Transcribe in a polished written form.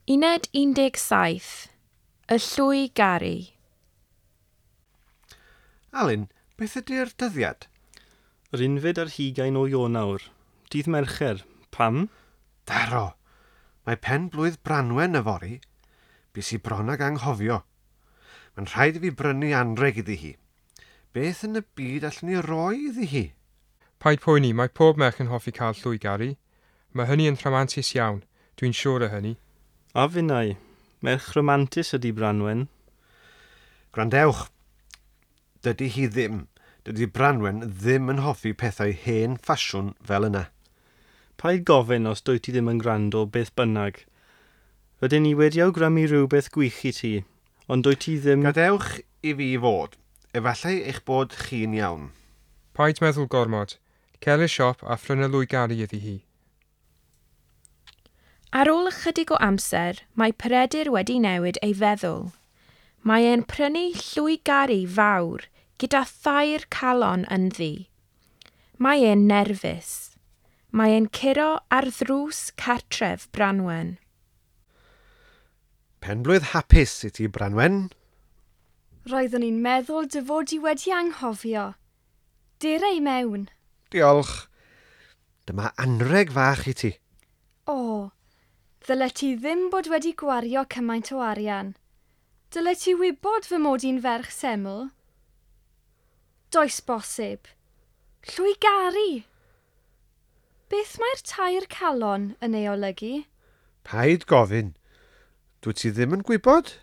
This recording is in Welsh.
Uned 17. Y llwy garu. Alun, beth ydy'r dyddiad? Yr 21 o Ionawr. Dydd Mercher. Pam? Daro! Mae pen blwydd Branwen yfory. Bys i bron ag anghofio. Mae'n rhaid i fi brynu anreg iddi hi. Beth yn y byd allwn ni roi iddi hi? Paid poeni, mae pob merch yn hoffi cael llwy garu. Mae hynny yn rhamantus iawn, dwi'n siŵr o hynny. A finnau. Merch rhamantus ydy Branwen. Gwrandewch, dydy hi ddim. Dydy Branwen ddim yn hoffi pethau hen ffasiwn fel yna. Paid gofyn os dwyt ti ddim yn gwrando beth bynnag. Rydyn ni wedi awgrymu rhywbeth gwych i ti, ond dwyt ti ddim... Gadewch i fi fod. Efallai eich bod chi'n iawn. Paid meddwl gormod. Cer i'r siop a phrynu lwy garu iddi hi. Ar ôl ychydig o amser, mae Peredur wedi newid ei feddwl. Mae e'n prynu llwy garu fawr gyda thair calon ynddi. Mae e'n nerfus. Mae e'n curo ar ddrws cartref Branwen. Penblwydd hapus i ti, Branwen. Roeddwn i'n meddwl dy fod i wedi anghofio. Dere i mewn. Diolch. Dyma anreg fach i ti. O, ddyle ti ddim bod wedi gwario cymaint o arian. Dyle ti wybod fy mod i'n ferch seml? Does bosib. Llwy garu. Beth mae'r tair calon yn ei olygu? Paid gofyn. Dwyt ti ddim yn gwybod?